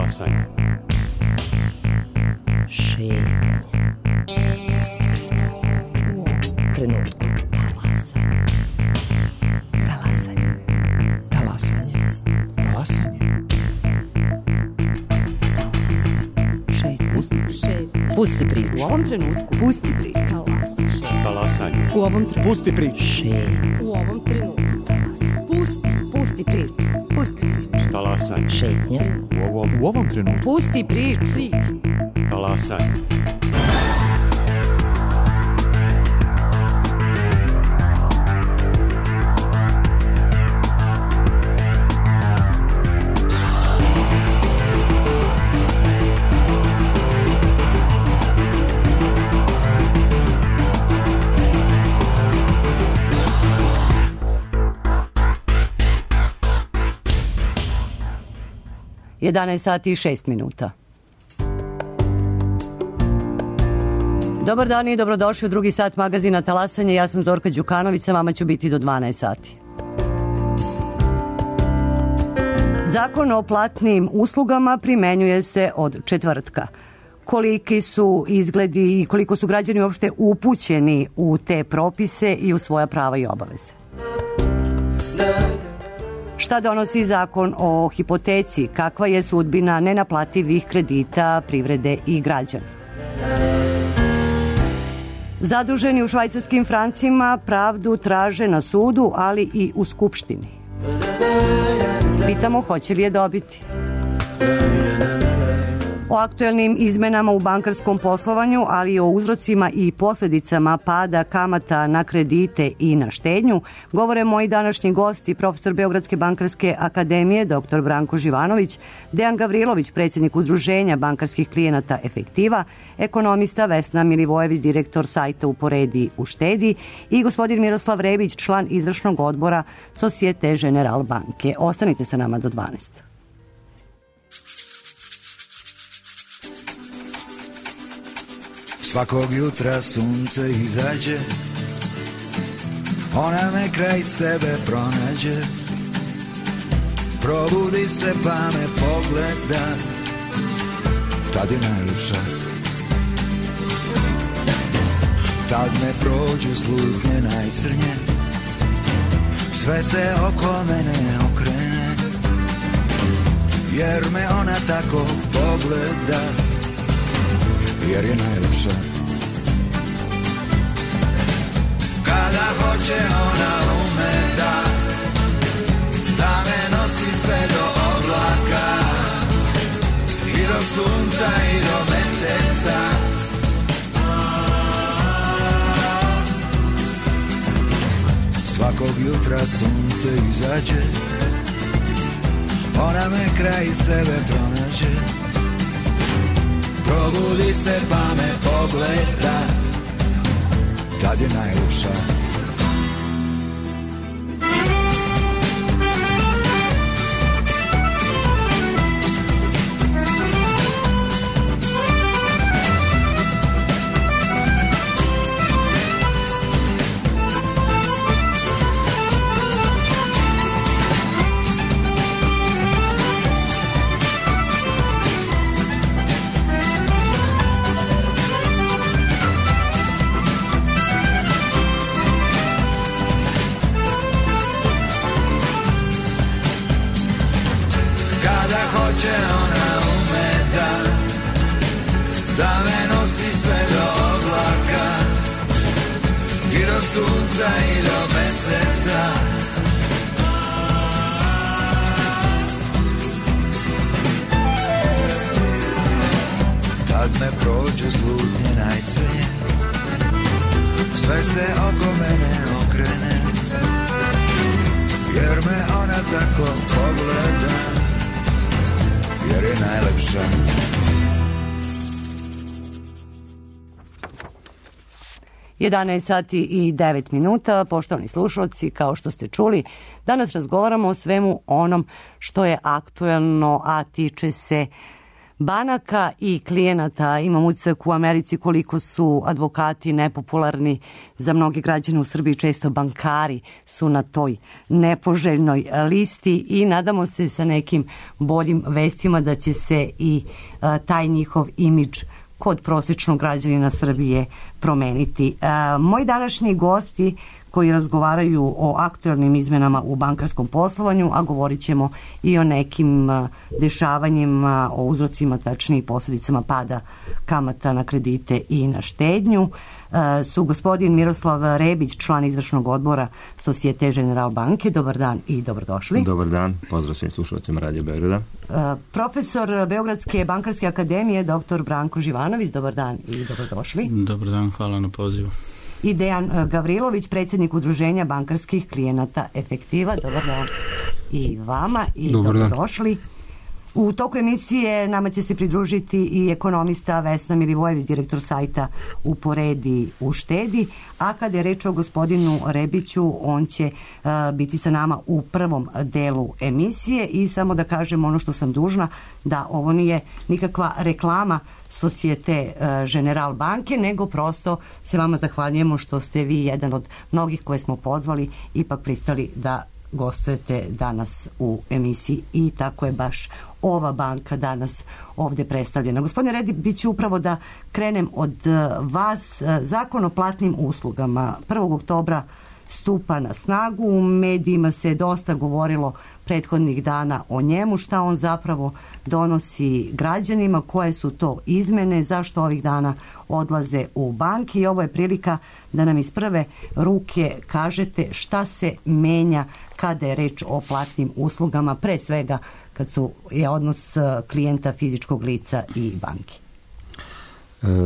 Talasanje. Šetnje. Pusti priču. U ovom trenutku. Talasanje. Talasanje. Talasanje. Pusti priču. U ovom trenutku. Pusti priču. Talasanje. U ovom trenutku. Pusti priču. U ovom trenutku. Pusti priču. Pusti priču. Talasanje. Šetnje. U ovom trenutku. Pusti priču. Talasanje. Je 11 sati i 6 minuta. Dobar dan i dobrodošli u drugi sat magazina Talasanje. Ja sam Zorka Đukanović, sa vama ću biti do 12 sati. Zakon o platnim uslugama primenjuje se od četvrtka. Koliki su izgledi i koliko su građani uopšte upućeni u te propise i u svoja prava i obaveze? Šta donosi zakon o hipoteci? Kakva je sudbina nenaplativih kredita privrede i građana? Zaduženi u švajcarskim francima pravdu traže na sudu, ali i u Skupštini. Pitamo hoće li je dobiti. O aktuelnim izmenama u bankarskom poslovanju, ali i o uzrocima i posljedicama pada kamata na kredite i na štednju, govore moji današnji gosti, profesor Beogradske bankarske akademije, dr. Branko Živanović, Dejan Gavrilović, predsjednik Udruženja bankarskih klijenata Efektiva, ekonomista Vesna Milivojević, direktor sajta Uporedi uštedi i gospodin Miroslav Rebić, član izvršnog odbora Societe General banke. Ostanite sa nama do 12. Svakog jutra sunce izađe, ona me kraj sebe pronađe. Probudi se pa me pogleda, tad je najljepša. Tad me prođu slutnje najcrnje, sve se oko mene okrene, jer me ona tako pogleda, jer je najljepša. Kada hoće ona ume da me nosi sve do oblaka i do sunca i do meseca. Svakog jutra sunce izađe, ona me kraj sebe pronađe. Probudi se pa me pogleda, tad je najljepša. Tad me prođe slutnje najcrnje, sve se oko mene okrene, jer me ona tako pogleda, jer je najlepša. Je 11 sati i 9 minuta. Poštovani slušalci, kao što ste čuli, danas razgovaramo o svemu onom što je aktuelno, a tiče se banaka i klijenata. Imam utisak u Americi koliko su advokati nepopularni za mnoge građane u Srbiji, često bankari su na toj nepoželjnoj listi i nadamo se sa nekim boljim vestima da će se i taj njihov imidž kod prosječnog građanina Srbije promeniti. Moji današnji gosti koji razgovaraju o aktualnim izmenama u bankarskom poslovanju, a govorit ćemo i o nekim dešavanjima, o uzrocima, tačnije posljedicama pada kamata na kredite i na štednju, su gospodin Miroslav Rebić, član izvršnog odbora Societe Generale banke. Dobar dan i dobrodošli. Dobar dan, pozdrav svim slušalcima Radio Beograda. Profesor Beogradske bankarske akademije, dr. Branko Živanović. Dobar dan i dobrodošli. Dobar dan, hvala na pozivu. I Dejan Gavrilović, predsjednik Udruženja bankarskih klijenata Efektiva. Dobar dan i vama i dobrodošli. U toku emisije nama će se pridružiti i ekonomista Vesna Milivojević, direktor sajta Uporedi uštedi, a kada je reč o gospodinu Rebiću, on će biti sa nama u prvom delu emisije. I samo da kažem ono što sam dužna, da ovo nije nikakva reklama Societe Generale banke, nego prosto se vama zahvaljujemo što ste vi jedan od mnogih koje smo pozvali ipak pristali da gostujete danas u emisiji i tako je baš ova banka danas ovdje predstavljena. Gospodine Rebiću, upravo da krenem od vas. Zakon o platnim uslugama 1. oktobra stupa na snagu. U medijima se dosta govorilo prethodnih dana o njemu, šta on zapravo donosi građanima, koje su to izmene, zašto ovih dana odlaze u banki. I ovo je prilika da nam iz prve ruke kažete šta se menja kada je reč o platnim uslugama, pre svega kad je odnos klijenta fizičkog lica i banki.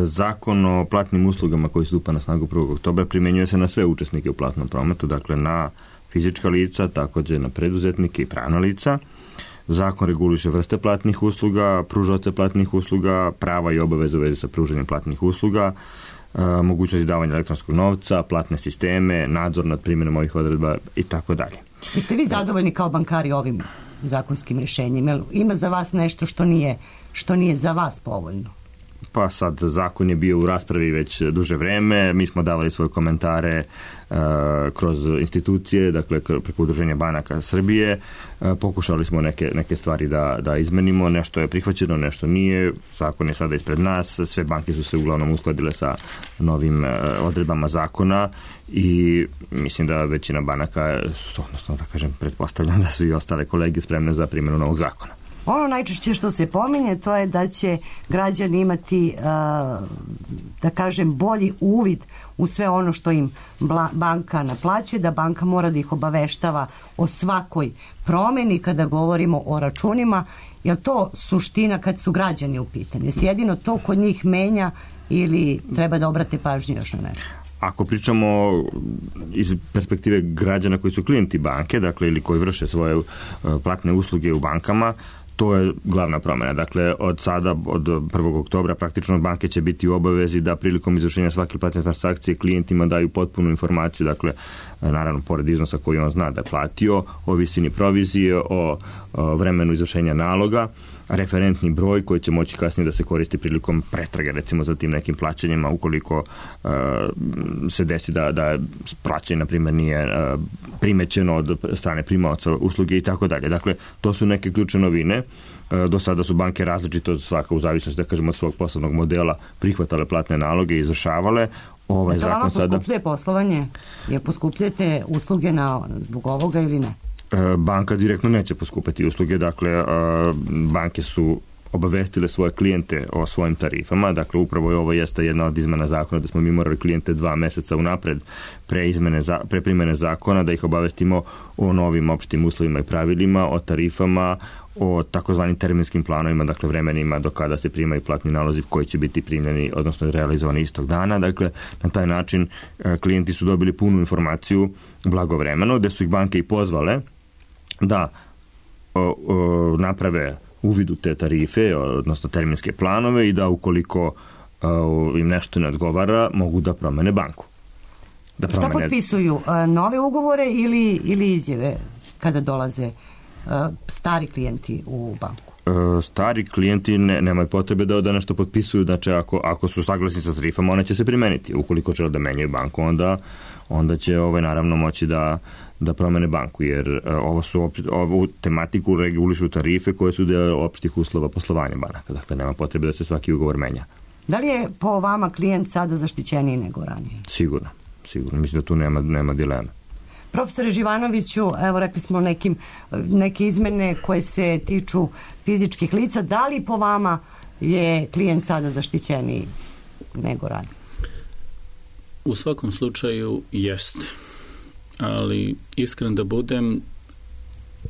Zakon o platnim uslugama koji stupa na snagu 1. oktobra primjenjuje se na sve učesnike u platnom prometu, dakle na fizička lica, također na preduzetnike i pravna lica. Zakon reguliše vrste platnih usluga, pružaoce platnih usluga, prava i obaveze u vezi sa pružanjem platnih usluga, mogućnost izdavanja elektronskog novca, platne sisteme, nadzor nad primjenom ovih odredba i tako dalje. Jeste vi zadovoljni kao bankari ovim zakonskim rješenjem? Ima za vas nešto što nije za vas povoljno? Pa sad, zakon je bio u raspravi već duže vreme, mi smo davali svoje komentare kroz institucije, dakle preko Udruženja banaka Srbije, pokušali smo neke stvari da izmenimo, nešto je prihvaćeno, nešto nije, zakon je sada ispred nas, sve banke su se uglavnom uskladile sa novim odredbama zakona i mislim da većina banaka, odnosno da kažem, pretpostavljam da su i ostale kolege spremne za primjenu novog zakona. Ono najčešće što se pominje to je da će građani imati, da kažem, bolji uvid u sve ono što im banka naplaćuje, da banka mora da ih obaveštava o svakoj promjeni kada govorimo o računima. Je li to suština kad su građani u pitanju? Je jedino to kod njih menja ili treba da obrate pažnju još na nešto? Ako pričamo iz perspektive građana koji su klijenti banke, dakle ili koji vrše svoje platne usluge u bankama, to je glavna promjena. Dakle, od sada, od 1. oktobra, praktično banke će biti u obavezi da prilikom izvršenja svake platne transakcije klijentima daju potpunu informaciju, dakle, naravno, pored iznosa koji on zna da je platio, o visini provizije, o vremenu izvršenja naloga, referentni broj koji će moći kasnije da se koristi prilikom pretrage, recimo za tim nekim plaćanjima, ukoliko se desi da plaćanje, na primjer, nije primećeno od strane primaoca usluge i tako dalje. Dakle, to su neke ključne novine. Do sada su banke različito, svaka u zavisnosti, da kažemo, od svog poslovnog modela prihvatale platne naloge i izvršavale. Ovaj zakon vama sada poskupljuje poslovanje? Je poskupljujete usluge zbog ovoga ili ne? Banka direktno neće poskupiti usluge, dakle banke su obavestile svoje klijente o svojim tarifama, dakle upravo je ovo jeste jedna od izmena zakona da smo mi morali klijente 2 mjeseca unapred pre primjene zakona da ih obavestimo o novim opštim uslovima i pravilima, o tarifama, o takozvanim terminskim planovima, dakle vremenima do kada se primaju platni nalozi koji će biti primljeni, odnosno realizovani istog dana. Dakle, na taj način klijenti su dobili punu informaciju blagovremeno, gde su ih banke i pozvale da naprave uvid u te tarife, odnosno terminske planove i da ukoliko im nešto ne odgovara, mogu da promene banku. Šta potpisuju? Nove ugovore ili izjave kada dolaze stari klijenti u banku? stari klijenti nemaju potrebe da nešto potpisuju, znači ako su saglasni sa tarifama, one će se primeniti. Ukoliko žele da menjaju banku, onda će naravno moći da promene banku, jer ovu tematiku regulišu tarife koje su deo opštih uslova poslovanja banaka. Dakle, nema potrebe da se svaki ugovor menja. Da li je po vama klijent sada zaštićeniji nego ranije? Sigurno. Mislim da tu nema dileme. Profesore Živanoviću, evo rekli smo neke izmene koje se tiču fizičkih lica. Da li po vama je klijent sada zaštićeniji nego ranije? U svakom slučaju jeste. Ali iskren da budem,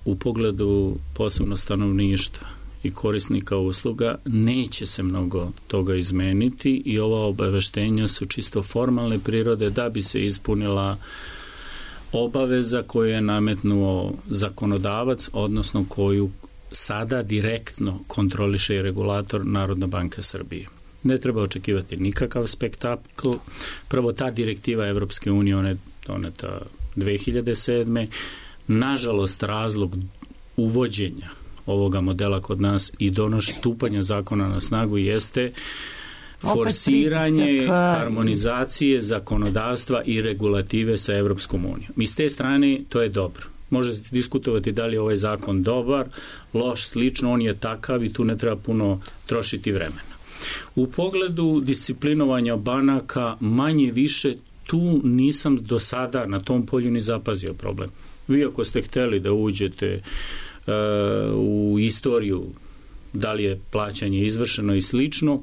u pogledu posebno stanovništva i korisnika usluga neće se mnogo toga izmeniti i ova obaveštenja su čisto formalne prirode da bi se ispunila obaveza koju je nametnuo zakonodavac, odnosno koju sada direktno kontroliše i regulator Narodna banka Srbije. Ne treba očekivati nikakav spektakl. Prvo, ta direktiva Evropske unije, ona je doneta 2007. Nažalost, razlog uvođenja ovoga modela kod nas i stupanja zakona na snagu jeste forsiranje harmonizacije zakonodavstva i regulative sa Evropskom unijom. I s te strane to je dobro. Može se diskutovati da li je ovaj zakon dobar, loš, slično, on je takav i tu ne treba puno trošiti vremena. U pogledu disciplinovanja banaka manje više tu nisam do sada na tom polju ni zapazio problem. Vi ako ste hteli da uđete u istoriju da li je plaćanje izvršeno i slično,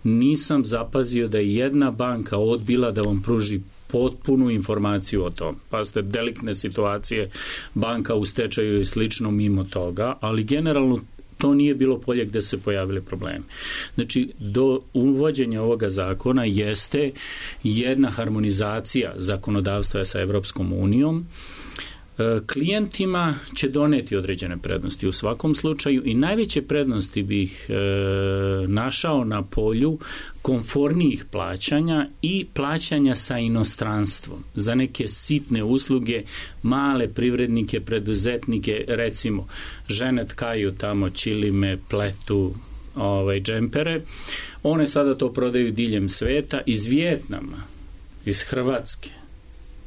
nisam zapazio da je jedna banka odbila da vam pruži potpunu informaciju o tom. Pa ste deliktne situacije, banka u stečaju i slično mimo toga, ali generalno to nije bilo polje gde se pojavili problemi. Znači, do uvođenja ovoga zakona jeste jedna harmonizacija zakonodavstva sa Evropskom unijom. Klijentima će doneti određene prednosti u svakom slučaju i najveće prednosti bih našao na polju konfornijih plaćanja i plaćanja sa inostranstvom za neke sitne usluge, male privrednike, preduzetnike, recimo žene tkaju tamo čilime, pletu, džempere. One sada to prodaju diljem sveta iz Vijetnama, iz Hrvatske.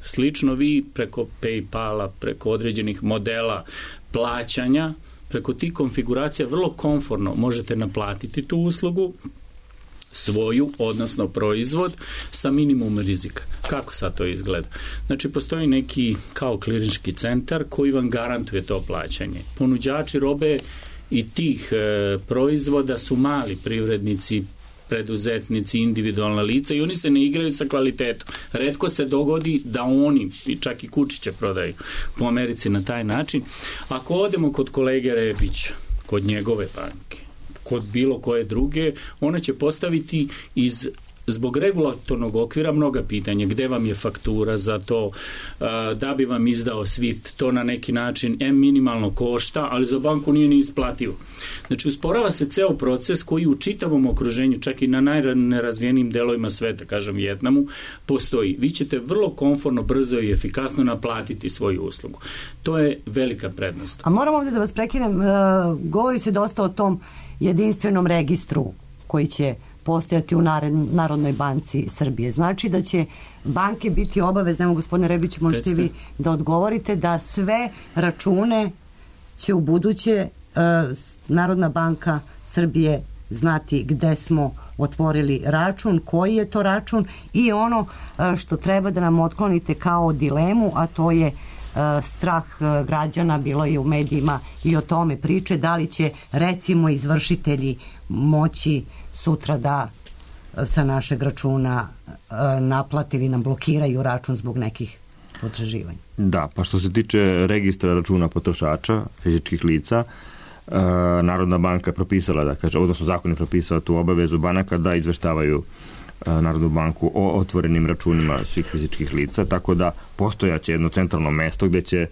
Slično vi preko PayPala, preko određenih modela plaćanja, preko tih konfiguracija vrlo komforno možete naplatiti tu uslugu svoju, odnosno proizvod, sa minimum rizika. Kako sad to izgleda? Znači, postoji neki kao klirinški centar koji vam garantuje to plaćanje. Ponuđači robe i tih proizvoda su mali privrednici, preduzetnici, individualna lica i oni se ne igraju sa kvalitetom. Retko se dogodi da oni, čak i kučiće prodaju po Americi na taj način. Ako odemo kod kolege Rebića, kod njegove banke, kod bilo koje druge, ona će postaviti zbog regulatornog okvira mnoga pitanja. Gde vam je faktura za to, da bi vam izdao SWIFT, to na neki način minimalno košta, ali za banku nije ni isplativo. Znači, usporava se ceo proces koji u čitavom okruženju, čak i na najnerazvijenijim delovima sveta, kažem Vijetnamu, postoji. Vi ćete vrlo komforno, brzo i efikasno naplatiti svoju uslugu. To je velika prednost. A moram ovdje da vas prekinem, govori se dosta o tom jedinstvenom registru koji će postojati u Narodnoj banci Srbije. Znači da će banke biti obavezne, evo gospodine Rebiću, možete vi da odgovorite, da sve račune će u buduće Narodna banka Srbije znati gde smo otvorili račun, koji je to račun i ono što treba da nam otklonite kao dilemu, a to je strah građana, bilo je u medijima i o tome priče, da li će recimo izvršitelji moći sutra da sa našeg računa naplati ili nam blokiraju račun zbog nekih potraživanja. Da, pa što se tiče registra računa potrošača, fizičkih lica, Narodna banka je propisala, da kaže, odnosno zakon je propisao tu obavezu banaka da izveštavaju Narodnu banku o otvorenim računima svih fizičkih lica, tako da postojaće jedno centralno mesto gde će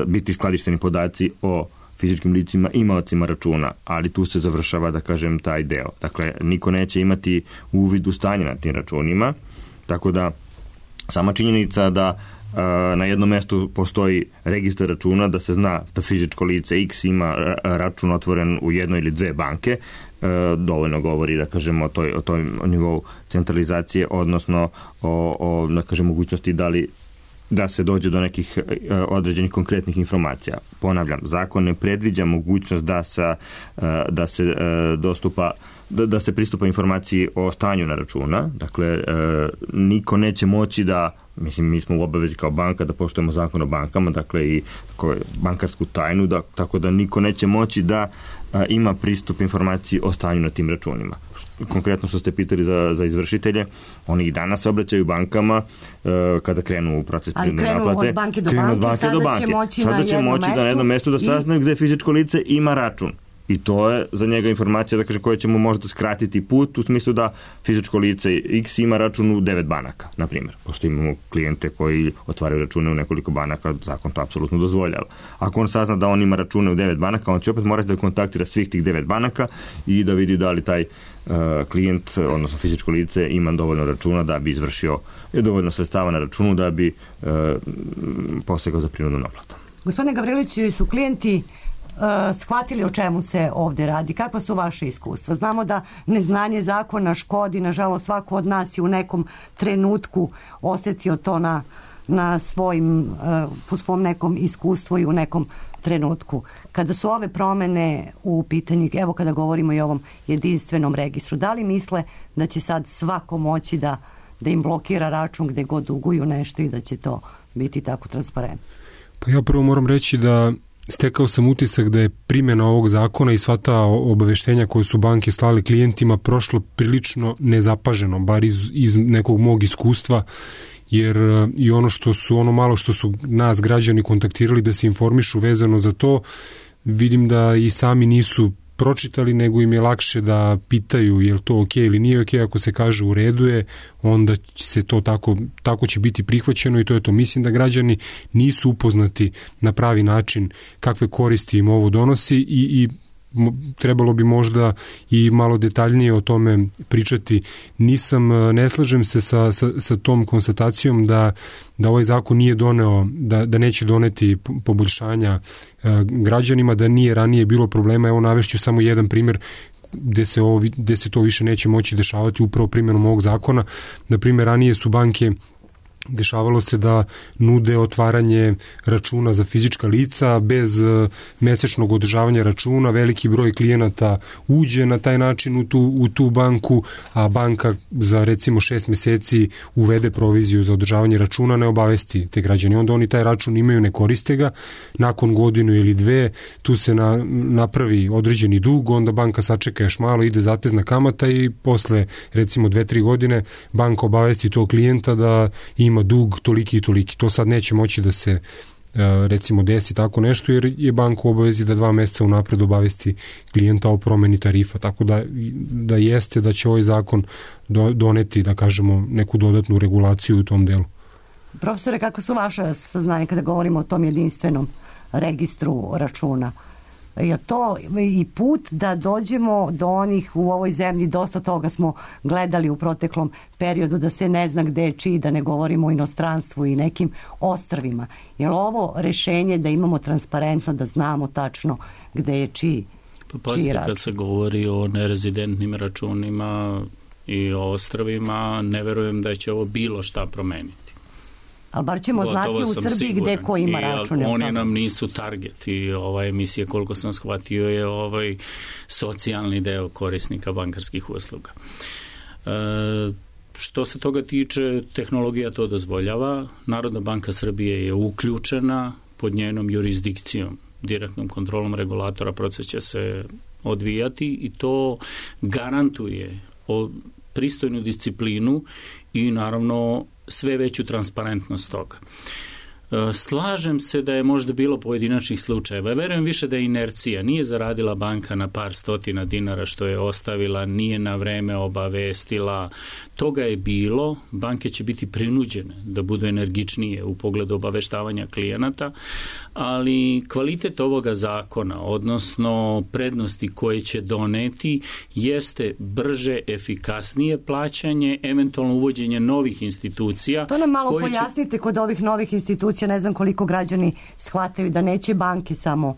biti skladišteni podaci o fizičkim licima, imaocima računa, ali tu se završava, da kažem, taj deo. Dakle, niko neće imati uvid u stanje na tim računima, tako da sama činjenica da na jednom mjestu postoji registar računa, da se zna da fizičko lice X ima račun otvoren u jednoj ili dve banke, dovoljno govori, da kažemo, o tom nivou centralizacije, odnosno o da kažem, mogućnosti da se dođe do nekih određenih konkretnih informacija. Ponavljam, zakon ne predviđa mogućnost da se dostupa, da se pristupa informaciji o stanju na računa. Dakle, niko neće moći da, mislim, mi smo u obavezi kao banka da poštujemo zakon o bankama, dakle i bankarsku tajnu, tako da niko neće moći da ima pristup informaciji o stanju na tim računima. Konkretno što ste pitali za izvršitelje, oni i danas se obraćaju bankama kada krenu u proces prinudne naplate. Ali krenu od banke do banke. Sada će moći na jednom mjestu da saznaju gde fizičko lice ima račun. I to je za njega informacija, da kaže, koja će mu možda skratiti put, u smislu da fizičko lice X ima račun u 9 banaka, na primjer. Pošto imamo klijente koji otvaraju račune u nekoliko banaka, zakon to apsolutno dozvoljava. Ako on sazna da on ima račune u 9 banaka, on će opet morati da kontaktira svih tih 9 banaka i da vidi da li taj klijent, odnosno fizičko lice, ima dovoljno računa da bi izvršio dovoljno sredstava na računu da bi posegao za prinudnu naplatu. Gospodine Gavriliću, su klijenti shvatili o čemu se ovdje radi? Kakva su vaše iskustva? Znamo da neznanje zakona škodi, nažalost svako od nas je u nekom trenutku osjetio to na po svom nekom iskustvu i u nekom trenutku. Kada su ove promjene u pitanju, evo kada govorimo i o ovom jedinstvenom registru, da li misle da će sad svako moći da im blokira račun gdje god duguju nešto i da će to biti tako transparentno? Pa ja prvo moram reći da stekao sam utisak da je primjena ovog zakona i sva ta obaveštenja koje su banke slali klijentima prošlo prilično nezapaženo, bar iz nekog mog iskustva, jer i ono malo što su nas građani kontaktirali da se informišu vezano za to, vidim da i sami nisu pročitali, nego im je lakše da pitaju je li to ok ili nije ok. Ako se kaže u redu je, onda se to tako će biti prihvaćeno i to je to. Mislim da građani nisu upoznati na pravi način kakve koristi im ovo donosi i trebalo bi možda i malo detaljnije o tome pričati. Ne slažem se sa tom konstatacijom da ovaj zakon nije doneo, da neće doneti poboljšanja građanima, da nije ranije bilo problema. Evo navešću samo jedan primjer gde se to više neće moći dešavati upravo primjenom ovog zakona. Na primjer, ranije su banke, dešavalo se da nude otvaranje računa za fizička lica bez mesečnog održavanja računa, veliki broj klijenata uđe na taj način u tu banku, a banka za recimo 6 mjeseci uvede proviziju za održavanje računa, ne obavesti te građani. Onda oni taj račun imaju, ne koriste ga, nakon godinu ili dve tu se napravi određeni dug, onda banka sačeka još malo, ide zatezna kamata i posle recimo 2-3 godine banka obavesti tog klijenta da ima dug toliki i toliki. To sad neće moći da se recimo desi tako nešto, jer je banka u obavezi da 2 mjeseca unapred obavesti klijenta o promjeni tarifa. Tako da jeste da će ovaj zakon doneti, da kažemo, neku dodatnu regulaciju u tom delu. Profesore, kako su vaše saznanja kada govorimo o tom jedinstvenom registru računa? Je to i put da dođemo do onih u ovoj zemlji, dosta toga smo gledali u proteklom periodu, da se ne zna gde je čiji, da ne govorimo o inostranstvu i nekim ostrvima. Je li ovo rešenje da imamo transparentno, da znamo tačno gde je čiji račun? Kad se govori o nerezidentnim računima i o ostrvima, ne verujem da će ovo bilo šta promeniti. Ali bar ćemo znati u Srbiji gde ko ima račun. Oni nam nisu target i ova emisija, koliko sam shvatio, je socijalni deo korisnika bankarskih usluga. Što se toga tiče, tehnologija to dozvoljava. Narodna banka Srbije je uključena pod njenom jurisdikcijom, direktnom kontrolom regulatora. Proces će se odvijati i to garantuje pristojnu disciplinu i naravno sve veću transparentnost toga. Slažem se da je možda bilo pojedinačnih slučajeva. Verujem više da je inercija. Nije zaradila banka na par stotina dinara što je ostavila, nije na vreme obavestila. Toga je bilo. Banke će biti prinuđene da budu energičnije u pogledu obaveštavanja klijenata, ali kvalitet ovoga zakona, odnosno prednosti koje će doneti, jeste brže, efikasnije plaćanje, eventualno uvođenje novih institucija. To nam malo pojasnite kod ovih novih institucija. Ne znam koliko građani shvataju da neće banke samo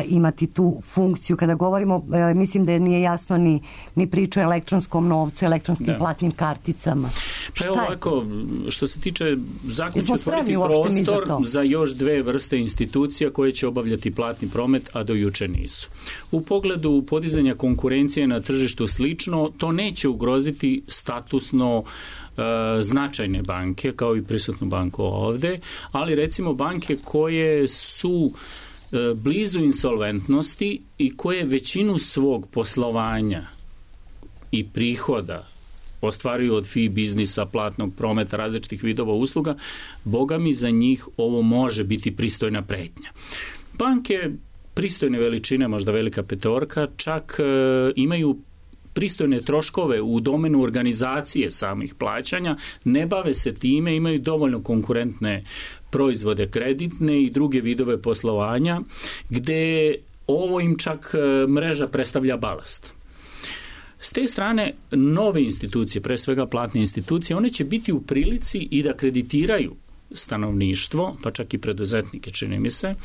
imati tu funkciju. Kada govorimo, mislim da nije jasno ni priča o elektronskom novcu, elektronskim platnim karticama. Pa evo ovako, što se tiče zakon će otvoriti prostor za još dve vrste institucija koje će obavljati platni promet, a do juče nisu. U pogledu podizanja konkurencije na tržištu slično, to neće ugroziti statusno značajne banke, kao i prisutnu banku ovde, ali recimo banke koje su blizu insolventnosti i koje većinu svog poslovanja i prihoda ostvaruju od fee biznisa, platnog prometa, različitih vidova usluga, boga mi za njih ovo može biti pristojna pretnja. Banke pristojne veličine, možda velika petorka, čak imaju pristojne troškove u domenu organizacije samih plaćanja, ne bave se time, imaju dovoljno konkurentne proizvode kreditne i druge vidove poslovanja, gde ovo im čak mreža predstavlja balast. S te strane, nove institucije, pre svega platne institucije, one će biti u prilici i da kreditiraju stanovništvo, pa čak i preduzetnike, čini mi se,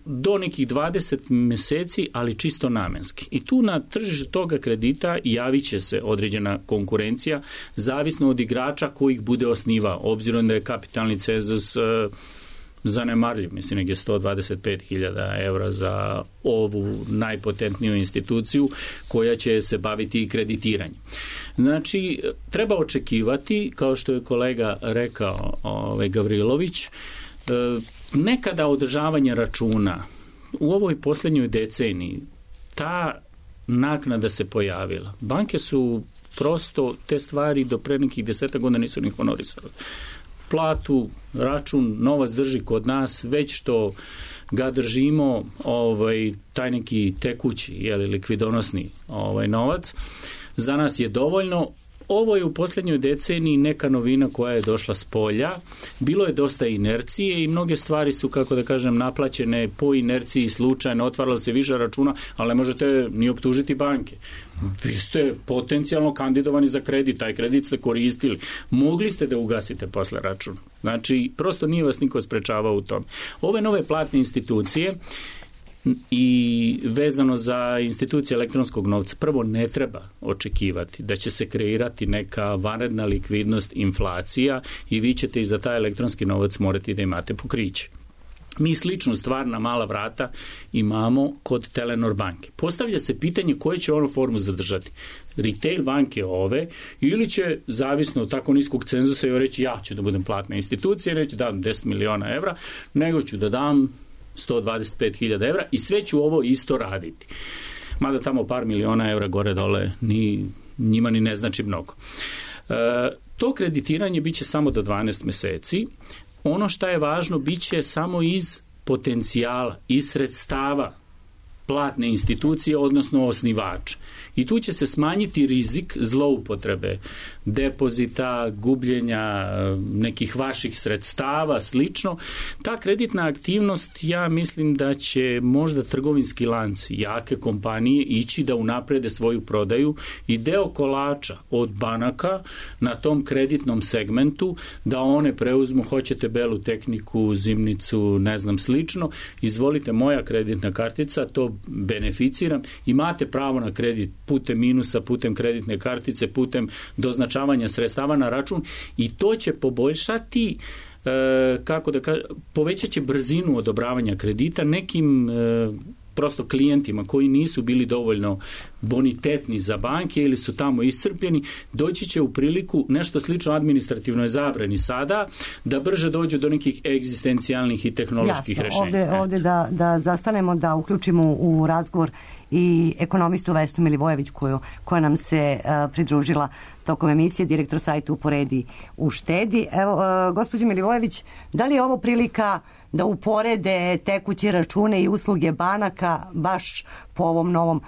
do nekih 20 meseci, ali čisto namenski. I tu na tržištu toga kredita javit će se određena konkurencija, zavisno od igrača kojih bude osnivao, obzirom da je kapitalni cenzus zanemarljiv, mislim negdje 125.000 evra za ovu najpotentniju instituciju koja će se baviti i kreditiranjem. Znači, treba očekivati, kao što je kolega rekao Gavrilović, nekada održavanje računa u ovoj posljednjoj deceniji, ta naknada se pojavila. Banke su prosto te stvari do pre nekih 10 godina nisu ni honorisali. Platu, račun, novac drži kod nas, već što ga držimo, taj neki tekući, likvidonosni novac, za nas je dovoljno. Ovo je u posljednjoj deceniji neka novina koja je došla s polja. Bilo je dosta inercije i mnoge stvari su, kako da kažem, naplaćene po inerciji slučajno, otvarala se više računa, ali ne možete ni optužiti banke. Vi ste potencijalno kandidovani za kredit, taj kredit ste koristili. Mogli ste da ugasite posle račun. Znači, prosto nije vas niko sprečavao u tom. Ove nove platne institucije i vezano za institucije elektronskog novca, prvo ne treba očekivati da će se kreirati neka vanredna likvidnost, inflacija i vi ćete i za taj elektronski novac morati da imate pokriće. Mi sličnu stvar na mala vrata imamo kod Telenor banke. Postavlja se pitanje koje će onu formu zadržati. Retail banke ove ili će, zavisno od tako niskog cenzusa, reći ja ću da budem platna institucija, neću da dam 10 miliona evra, nego ću da dam 125.000 evra i sve ću ovo isto raditi. Mada tamo par miliona evra gore dole njima ni ne znači mnogo. To kreditiranje biće samo do 12 meseci. Ono što je važno biće samo iz potencijala, iz sredstava platne institucije, odnosno osnivača. I tu će se smanjiti rizik zloupotrebe depozita, gubljenja nekih vaših sredstava, slično. Ta kreditna aktivnost, ja mislim da će možda trgovinski lanci, jake kompanije ići da unaprede svoju prodaju i deo kolača od banaka na tom kreditnom segmentu, da one preuzmu, hoćete belu tehniku, zimnicu, ne znam, slično, izvolite, moja kreditna kartica, to beneficiram, imate pravo na kredit putem minusa, putem kreditne kartice, putem doznačavanja sredstava na račun i to će poboljšati, povećat će brzinu odobravanja kredita nekim prosto klijentima koji nisu bili dovoljno bonitetni za banke ili su tamo iscrpljeni, doći će u priliku nešto slično administrativnoj zabrani sada, da brže dođu do nekih egzistencijalnih i tehnoloških rešenja. Ovde da zastanemo, da uključimo u razgovor i ekonomistu Vesnu Milivojević koja nam se pridružila tokom emisije, direktor sajta Uporedi uštedi. Evo, gospođo Milivojević, da li je ovo prilika da uporede tekuće račune i usluge banaka baš po ovom novom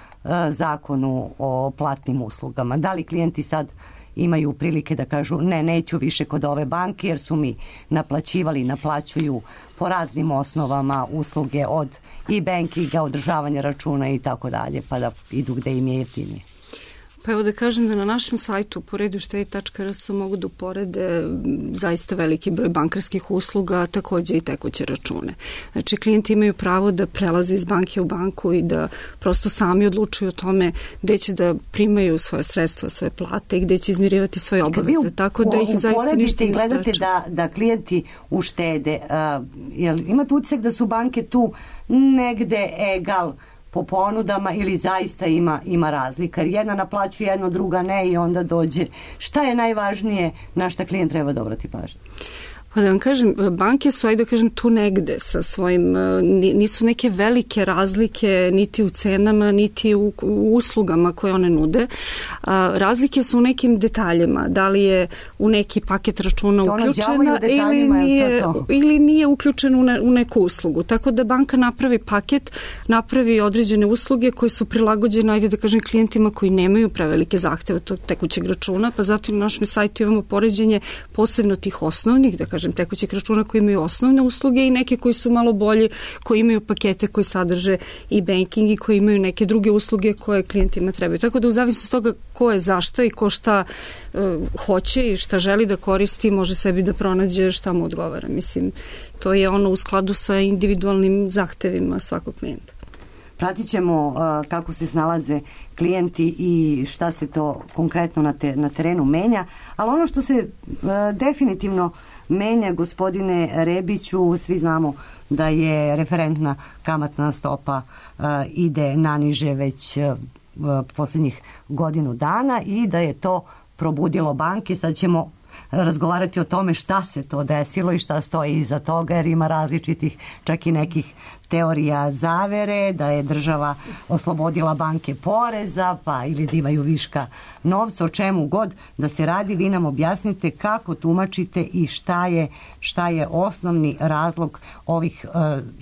zakonu o platnim uslugama? Da li klijenti sad imaju prilike da kažu neću više kod ove banke jer su mi naplaćivali, naplaćuju po raznim osnovama usluge od e-bankinga, održavanja računa i tako dalje, pa da idu gde im je jeftinije? Pa evo da kažem da na našem sajtu uporediuštedi.rs mogu da uporede zaista veliki broj bankarskih usluga, takođe i tekuće račune. Znači, klijenti imaju pravo da prelaze iz banke u banku i da prosto sami odlučuju o tome gde će da primaju svoje sredstva, svoje plate i gde će izmirivati svoje obaveze. Tako da ih zaista ništa ne gledate spreče. da klijenti uštede. Imate utisak da su banke tu negde egal po ponudama ili zaista ima razlika? Jer jedna naplaćuje, jedno, druga ne i onda dođe. Šta je najvažnije na šta klijent treba da obrati pažnju? Pa da vam kažem, banke su, ajde da kažem, tu negde sa svojim, nisu neke velike razlike niti u cenama, niti u uslugama koje one nude. Razlike su u nekim detaljima, da li je u neki paket računa uključena ili nije uključena u neku uslugu. Tako da banka napravi paket, napravi određene usluge koje su prilagođene, ajde da kažem, klijentima koji nemaju prevelike zahteve tog tekućeg računa, pa zato na našem sajtu imamo poređenje posebno tih osnovnih, da kažem, tekućih računa koji imaju osnovne usluge i neke koji su malo bolji, koji imaju pakete koji sadrže i banking i koji imaju neke druge usluge koje klijentima trebaju. Tako da u zavisnosti od toga ko je zašto i ko šta hoće i šta želi da koristi, može sebi da pronađe šta mu odgovara. Mislim, to je ono u skladu sa individualnim zahtevima svakog klijenta. Pratit ćemo kako se snalaze klijenti i šta se to konkretno na terenu menja, ali ono što se definitivno menja, gospodine Rebiću, svi znamo da je referentna kamatna stopa ide naniže već poslednjih godinu dana i da je to probudilo banke. Sad ćemo razgovarati o tome šta se to desilo i šta stoji iza toga, jer ima različitih, čak i nekih teorija zavere, da je država oslobodila banke poreza, pa ili da imaju viška novca, o čemu god da se radi. Vi nam objasnite kako tumačite i šta je osnovni razlog ovih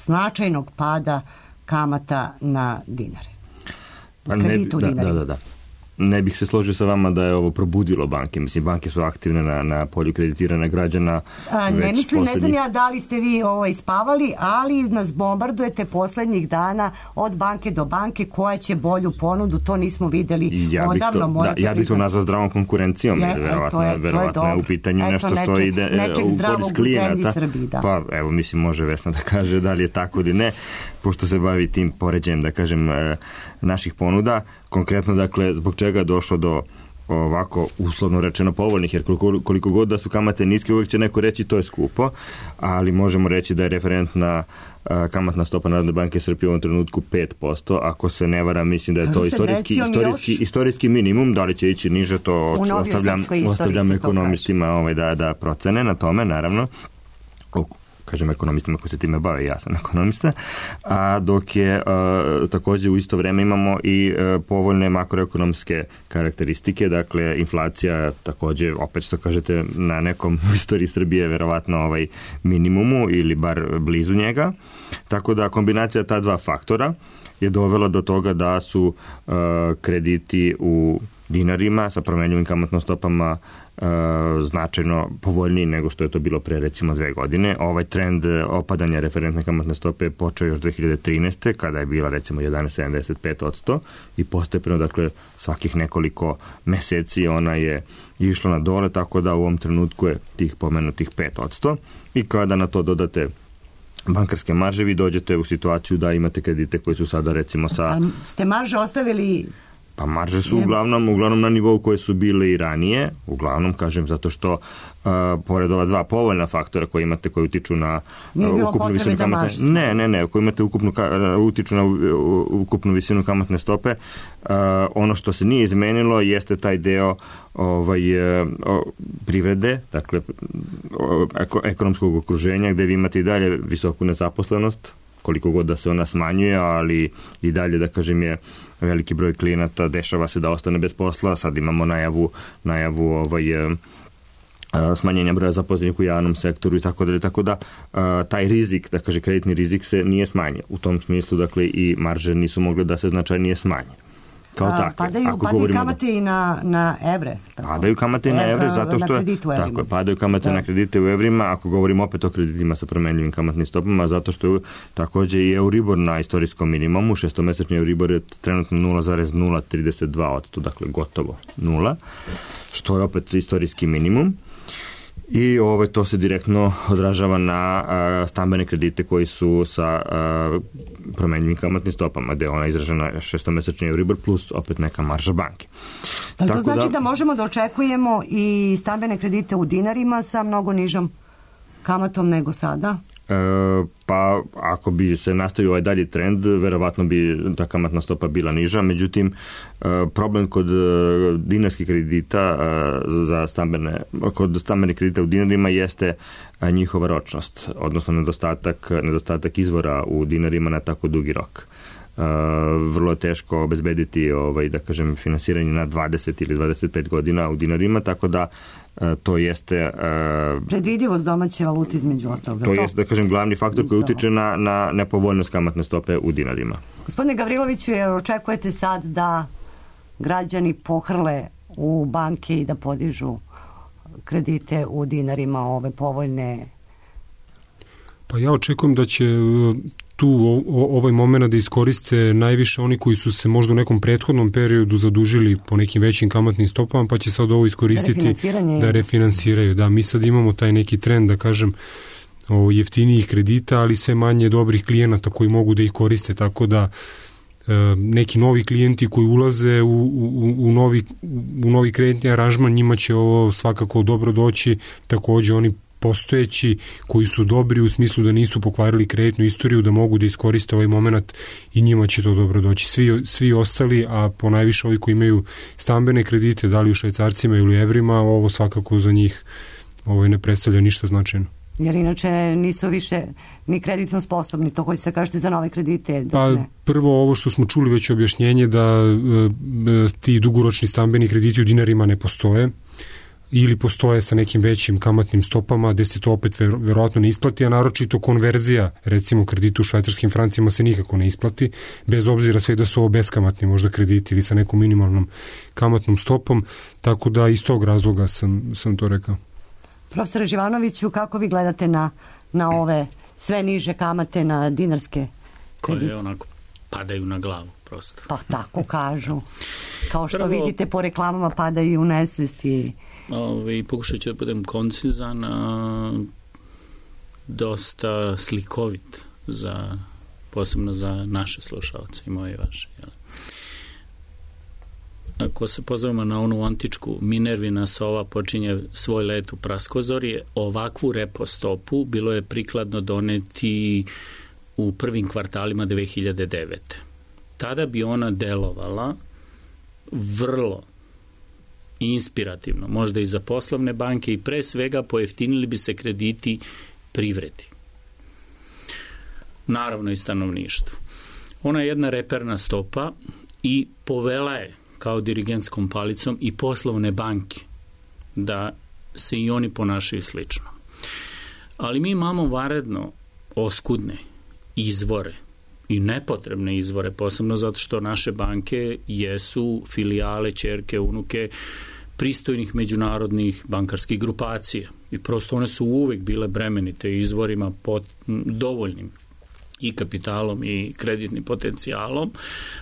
značajnog pada kamata na dinare. Kreditu u dinarima. Da. Ne bih se složio sa vama da je ovo probudilo banke. Mislim, banke su aktivne na polju kreditiranja građana. Ne znam ja da li ste vi spavali, ali nas bombardujete poslednjih dana od banke do banke koja će bolju ponudu, to nismo videli odavno. Ja bih to nazvao zdravom konkurencijom. Verovatno je u pitanju nešto što ide u korist klijenata. Pa evo, mislim, može Vesna da kaže da li je tako ili ne, pošto se bavi tim poređenjem, da kažem, naših ponuda. Konkretno, dakle, zbog čega je došlo do ovako uslovno rečeno povoljnih, jer koliko god da su kamate niske, uvijek će neko reći to je skupo, ali možemo reći da je referentna kamatna stopa Narodne banke Srbije u ovom trenutku 5%, ako se ne vara, mislim da je to istorijski minimum, da li će ići niže, to ostavljam ekonomistima da procene na tome, naravno. Kažem ekonomistima koji se time bave, ja sam ekonomista, a dok je takođe u isto vreme imamo i povoljne makroekonomske karakteristike, dakle inflacija takođe, opet što kažete, na nekom u istoriji Srbije verovatno minimumu ili bar blizu njega, tako da kombinacija ta dva faktora je dovela do toga da su krediti u dinarima sa promenljivim kamatnim stopama značajno povoljniji nego što je to bilo pre recimo 2 godine. Ovaj trend opadanja referentne kamatne stope je počeo još 2013. kada je bila recimo 11,75% i postepeno, dakle, svakih nekoliko meseci ona je išla na dole, tako da u ovom trenutku je tih pomenutih 5%. I kada na to dodate bankarske marže, vi dođete u situaciju da imate kredite koji su sada recimo sa... Ste marže ostavili Pa marže su uglavnom na nivou koje su bile i ranije, uglavnom, kažem, zato što pored ova dva povoljna faktora koje imate, koji utiču na ukupnu visinu kamatne... Ne, koji imate utiču na ukupnu visinu kamatne stope, ono što se nije izmenilo jeste taj deo privrede, dakle, ekonomskog okruženja, gde vi imate i dalje visoku nezaposlenost, koliko god da se ona smanjuje, ali i dalje, da kažem, je veliki broj klijenata, dešava se da ostane bez posla, sad imamo najavu smanjenja broja zaposlenih u javnom sektoru i tako da taj rizik, da kaže kreditni rizik se nije smanjio. U tom smislu, dakle, i marže nisu mogle da se značajnije smanje. Padaju kamate i na evre. Padaju kamate i na evre zato što padaju kamate na kredite u evrima, ako govorimo opet o kreditima sa promenljivim kamatnim stopama, zato što je takođe i Euribor na istorijskom minimumu, šestomesečni Euribor je trenutno 0,032%, dakle gotovo 0, što je opet istorijski minimum. I to se direktno odražava na stambene kredite koji su sa promenljivim kamatnim stopama, gde je ona izražena šestomesečni Euribor plus opet neka marža banke. To znači da možemo da očekujemo i stambene kredite u dinarima sa mnogo nižom kamatom nego sada? Pa ako bi se nastavio ovaj dalji trend, verovatno bi ta kamatna stopa bila niža, međutim problem kod dinarskih kredita kod stambenih kredita u dinarima jeste njihova ročnost, odnosno nedostatak izvora u dinarima na tako dugi rok. Vrlo je teško obezbediti da kažem finansiranje na 20 ili 25 godina u dinarima, tako da to jeste predvidivost domaće valute između ostalog. To jeste, da kažem, glavni faktor koji utiče na nepovoljnost kamatne stope u dinarima. Gospodine Gavriloviću, očekujete sad da građani pohrle u banke i da podižu kredite u dinarima, ove povoljne? Pa ja očekujem da će tu ovaj moment da iskoriste najviše oni koji su se možda u nekom prethodnom periodu zadužili po nekim većim kamatnim stopama, pa će sad ovo iskoristiti da refinansiraju. Da, mi sad imamo taj neki trend, da kažem, jeftinijih kredita, ali sve manje dobrih klijenata koji mogu da ih koriste, tako da neki novi klijenti koji ulaze u novi kreditni aranžman, njima će ovo svakako dobro doći, takođe oni postojeći koji su dobri u smislu da nisu pokvarili kreditnu istoriju, da mogu da iskoriste ovaj moment i njima će to dobro doći. Svi ostali, a ponajviše ovi koji imaju stambene kredite, da li u švajcarcima ili u evrima, ovo svakako za njih ne predstavlja ništa značajno. Jer inače nisu više ni kreditno sposobni, to hoće se kažete za nove kredite? Pa prvo ovo što smo čuli već objašnjenje da ti dugoročni stambeni krediti u dinarima ne postoje, ili postoje sa nekim većim kamatnim stopama gde se to opet verovatno ne isplati, a naročito konverzija, recimo kredita u švajcarskim francima se nikako ne isplati, bez obzira sve da su ovo beskamatni možda krediti ili sa nekom minimalnom kamatnom stopom, tako da iz tog razloga sam to rekao. Profesore Živanoviću, kako vi gledate na ove sve niže kamate na dinarske kredite? Koje onako padaju na glavu prosto. Pa tako kažu. Kao što vidite po reklamama padaju u nesvesti. Pokušat ću da budem koncizan, dosta slikovit posebno za naše slušalce i moje i vaše. Ako se pozovemo na onu antičku Minervina sova počinje svoj let u praskozorje, ovakvu repo stopu bilo je prikladno doneti u prvim kvartalima 2009. Tada bi ona delovala vrlo inspirativno, možda i za poslovne banke i pre svega pojeftinili bi se krediti privredi. Naravno i stanovništvu. Ona je jedna reperna stopa i povela je kao dirigentskom palicom i poslovne banke da se i oni ponašaju slično. Ali mi imamo vanredno oskudne izvore i nepotrebne izvore, posebno zato što naše banke jesu filijale, ćerke, unuke pristojnih međunarodnih bankarskih grupacija i prosto one su uvek bile bremenite izvorima dovoljnim i kapitalom i kreditnim potencijalom.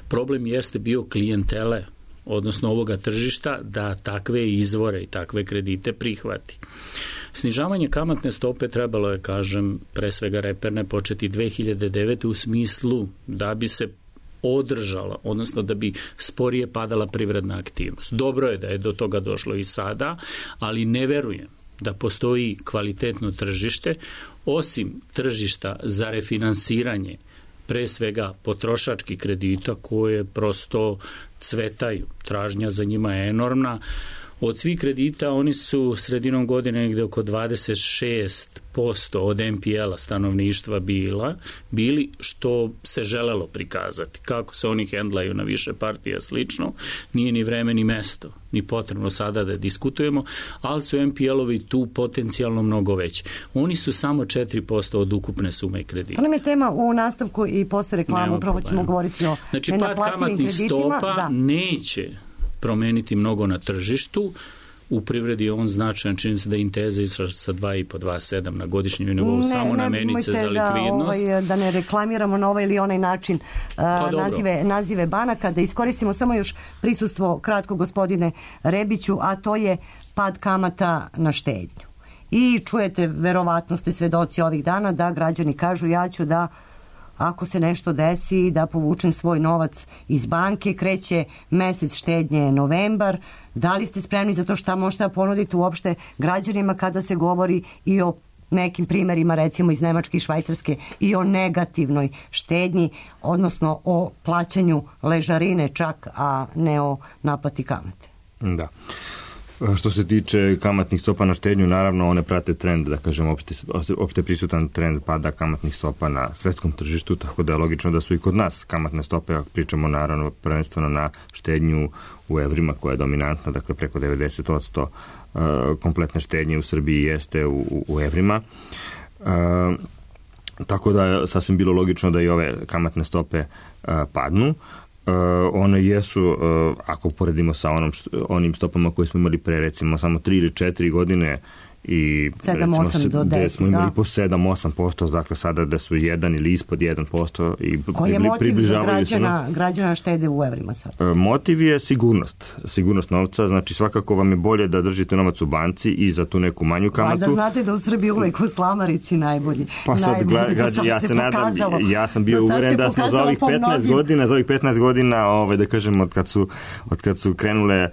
Problem jeste bio klijentele, odnosno ovoga tržišta, da takve izvore i takve kredite prihvati. Snižavanje kamatne stope trebalo je, kažem, pre svega reperne početi 2009. u smislu da bi se održala, odnosno da bi sporije padala privredna aktivnost. Dobro je da je do toga došlo i sada, ali ne verujem da postoji kvalitetno tržište, osim tržišta za refinansiranje, pre svega potrošačkih kredita koje prosto cvetaju. Tražnja za njima je enormna. Od svih kredita oni su sredinom godine negde oko 26% od NPL-a stanovništva bili, što se želelo prikazati. Kako se oni hendlaju na više partija slično, nije ni vreme ni mesto, ni potrebno sada da diskutujemo, ali su NPL-ovi tu potencijalno mnogo veći. Oni su samo 4% od ukupne sume kredita. To nam je tema u nastavku i posle reklamu, upravo ćemo govoriti o znači, pad kamatnih stopa neće promeniti mnogo na tržištu. U privredi je on značajan, čini se da je Inteza izraža sa 2,5-2,7 na godišnjem nivou, samo na menice za likvidnost. Da ne reklamiramo na ovaj ili onaj način nazive banaka, da iskoristimo samo još prisustvo kratko gospodine Rebiću, a to je pad kamata na štednju. I čujete, verovatno ste svedoci ovih dana da građani kažu ja ću da ako se nešto desi da povučem svoj novac iz banke, kreće mesec štednje novembar. Da li ste spremni za to, šta možete ponuditi uopšte građanima kada se govori i o nekim primerima, recimo iz Nemačke i Švajcarske, i o negativnoj štednji, odnosno o plaćanju ležarine čak, a ne o naplati kamate? Da. Što se tiče kamatnih stopa na štednju, naravno one prate trend, da kažem, opšte prisutan trend pada kamatnih stopa na svetskom tržištu, tako da je logično da su i kod nas kamatne stope, ako pričamo naravno prvenstveno na štednju u evrima koja je dominantna, dakle preko 90% kompletne štednje u Srbiji jeste u evrima. Tako da je sasvim bilo logično da i ove kamatne stope padnu. One jesu, ako poredimo sa onim stopama koje smo imali pre recimo samo 3 ili 4 godine i 7-8 do 10, gde smo imali po 7-8%, dakle sada da su 1 ili ispod 1% i koji je motiv građana štede u evrima sad? Motiv je sigurnost novca, znači svakako vam je bolje da držite novac u banci i za tu neku manju kamatu. Da znate da u Srbiji uvek u slamarici najbolji. Pa sad, ja sam bio uveren da smo za ovih 15 godina, da kažem, od kad su krenule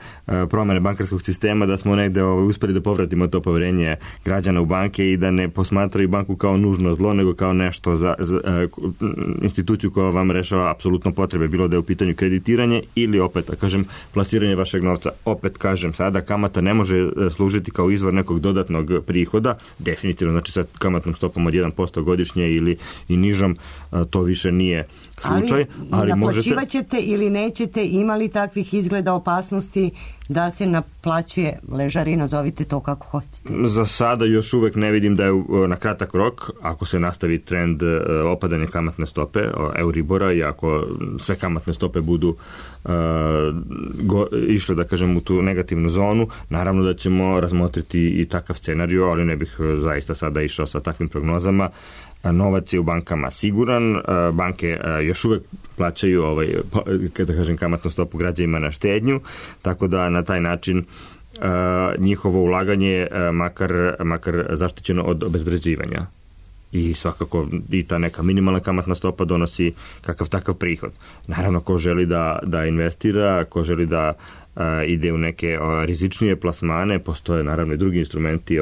promene bankarskog sistema, da smo negde uspeli da povratimo to poverenje građana u banke i da ne posmatraju banku kao nužno zlo, nego kao nešto za instituciju koja vam rešava apsolutno potrebe, bilo da je u pitanju kreditiranje ili opet, da kažem, plasiranje vašeg novca. Opet kažem sada, kamata ne može služiti kao izvor nekog dodatnog prihoda, definitivno, znači sa kamatnom stopom od 1% godišnje ili i nižom, to više nije slučaj. Ali naplaćivaćete ili nećete, imali takvih izgleda opasnosti da se naplaćuje ležarina, zovite to kako hoćete? Za sada još uvek ne vidim da je na kratak rok, ako se nastavi trend opadanja kamatne stope, Euribora, i ako sve kamatne stope budu išle, da kažem, u tu negativnu zonu, naravno da ćemo razmotriti i takav scenariju, ali ne bih zaista sada išao sa takvim prognozama. Novac je u bankama siguran, banke još uvek plaćaju kada kažem kamatnu stopu građanima na štednju, tako da na taj način njihovo ulaganje makar zaštićeno od obezvređivanja. I svakako i ta neka minimalna kamatna stopa donosi kakav takav prihod. Naravno, ko želi da investira, ko želi da ide u neke rizičnije plasmane, postoje naravno i drugi instrumenti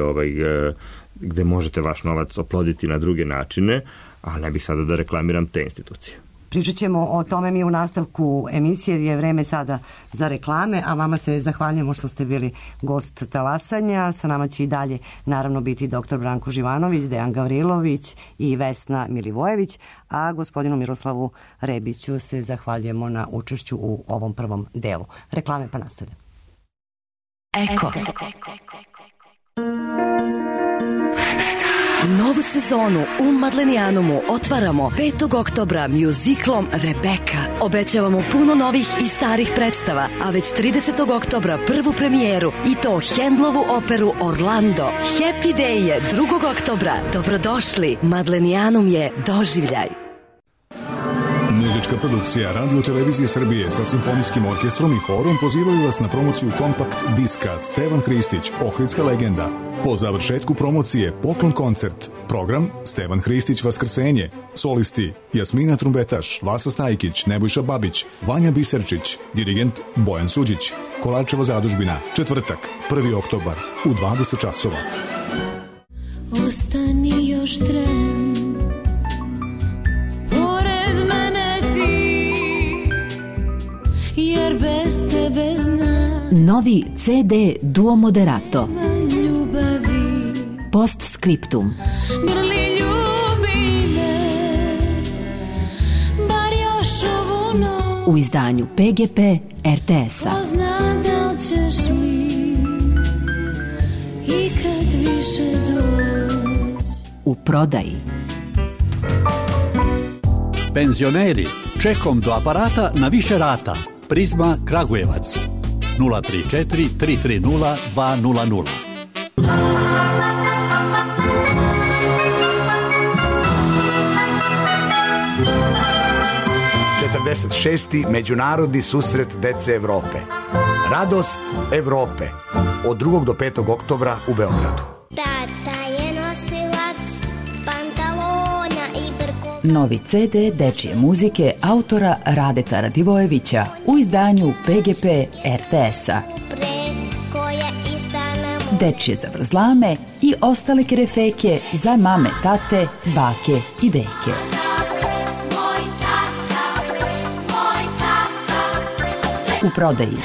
gde možete vaš novac oploditi na druge načine, a ne bih sada da reklamiram te institucije. Pričat ćemo o tome mi u nastavku emisije, jer je vreme sada za reklame, a vama se zahvaljujemo što ste bili gost Talasanja. Sa nama će i dalje naravno biti dr. Branko Živanović, Dejan Gavrilović i Vesna Milivojević, a gospodinu Miroslavu Rebiću se zahvaljujemo na učešću u ovom prvom delu. Reklame pa nastavljamo. Eko. Novu sezonu u Madlenijanumu otvaramo 5. oktobra mjuziklom Rebeka. Obećavamo puno novih i starih predstava, a već 30. oktobra prvu premijeru, i to Handlovu operu Orlando. Happy Day je 2. oktobra. Dobrodošli, Madlenijanum je doživljaj. Muzička produkcija Radio Televizije Srbije sa simfonijskim orkestrom i horom pozivaju vas na promociju kompakt diska Stevan Hristić, Ohridska legenda. Po završetku promocije poklon koncert. Program Stevan Hristić Vaskrsenje. Solisti Jasmina Trumbetaš, Vasa Stajkić, Nebojša Babić, Vanja Biserčić, dirigent Bojan Suđić. Kolarčeva zadužbina, četvrtak, 1. oktobar u 20 časova. Ostani još tren, pored mene ti, jer bez tebe znam. Novi CD Duo Moderato. Ljubavi. Postscriptum. Grli ljubi me, bar još ovu noć. U izdanju PGP RTS-a. Ko zna da li ćeš mi ikad više doći. U prodaji. Penzioneri, čekom do aparata na više rata. Prizma Kragujevac 034 330 200. Šesti međunarodni susret dece Evrope. Radost Evrope od 2. do 5. oktobra u Beogradu. Tata je nosilac pantalona i brko. Novi CD dečije muzike autora Radeta Radivojevića u izdanju PGP RTS-a. Dečije zavrzlame i ostale kerefeke za mame, tate, bake i deke. U prodaji.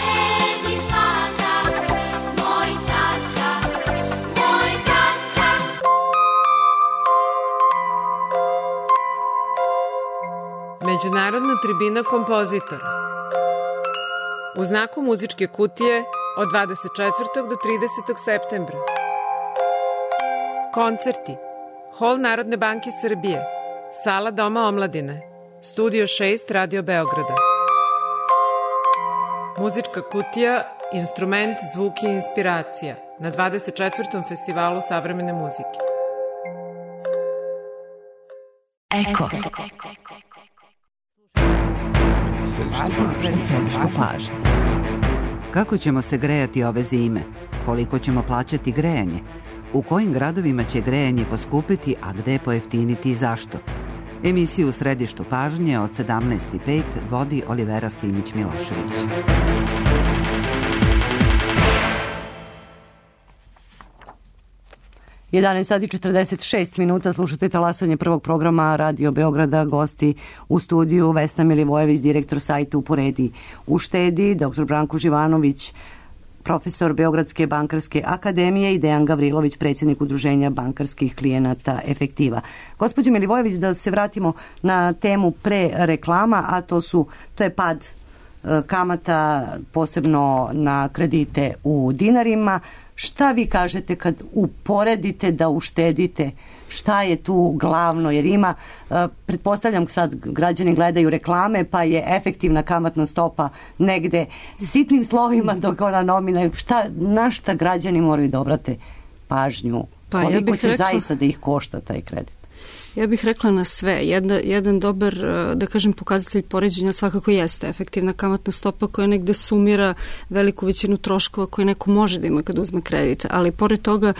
Međunarodna tribina kompozitora. U znaku muzičke kutije od 24. do 30. septembra. Koncerti. Hol Narodne banke Srbije. Sala Doma omladine. Studio 6 Radio Beograda. Muzička kutija, instrument, zvuk i inspiracija na 24. festivalu savremene muzike. Eko. Središte pažnje. Kako ćemo se grejati ove zime? Koliko ćemo plaćati grejanje? U kojim gradovima će grejanje poskupiti, a gde pojeftiniti i zašto? Emisiju u središtu pažnje od 17:05 vodi Olivera Simić-Milošević. Sati 46 minuta, slušate talasanje prvog programa Radio Beograda, gosti u studiju Vesna Milivojević, direktor sajta Uporedi uštedi, dr. Branko Živanović, profesor Beogradske bankarske akademije i Dejan Gavrilović, predsjednik udruženja bankarskih klijenata Efektiva. Gospođo Milivojević, da se vratimo na temu pre reklama, a to je pad kamata, posebno na kredite u dinarima. Šta vi kažete kad uporedite da uštedite? Šta je tu glavno? Jer ima, pretpostavljam sad građani gledaju reklame, pa je efektivna kamatna stopa negde sitnim slovima dok ona nomina. Na šta građani moraju da obrate pažnju? Koliko će zaista da ih košta taj kredit? Ja bih rekla na sve. Jedan dobar, da kažem, pokazatelj poređenja svakako jeste efektivna kamatna stopa koja negde sumira veliku većinu troškova koje neko može da ima kad uzme kredit. Ali pored toga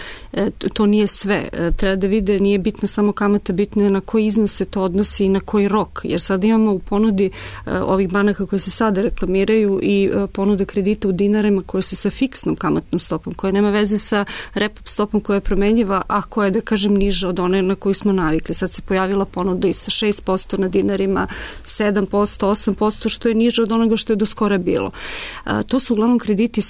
to nije sve. Treba da vide, nije bitna samo kamata, bitno je na koji iznos se to odnosi i na koji rok. Jer sad imamo u ponudi ovih banaka koje se sada reklamiraju i ponude kredita u dinarima koje su sa fiksnom kamatnom stopom, koja nema veze sa repo stopom koja je promenjiva, a koja je, da kažem, niža od one na koju smo navikli. Sad se pojavila ponuda i sa 6% na dinarima, 7%, 8%, što je niže od onoga što je do skora bilo. To su uglavnom krediti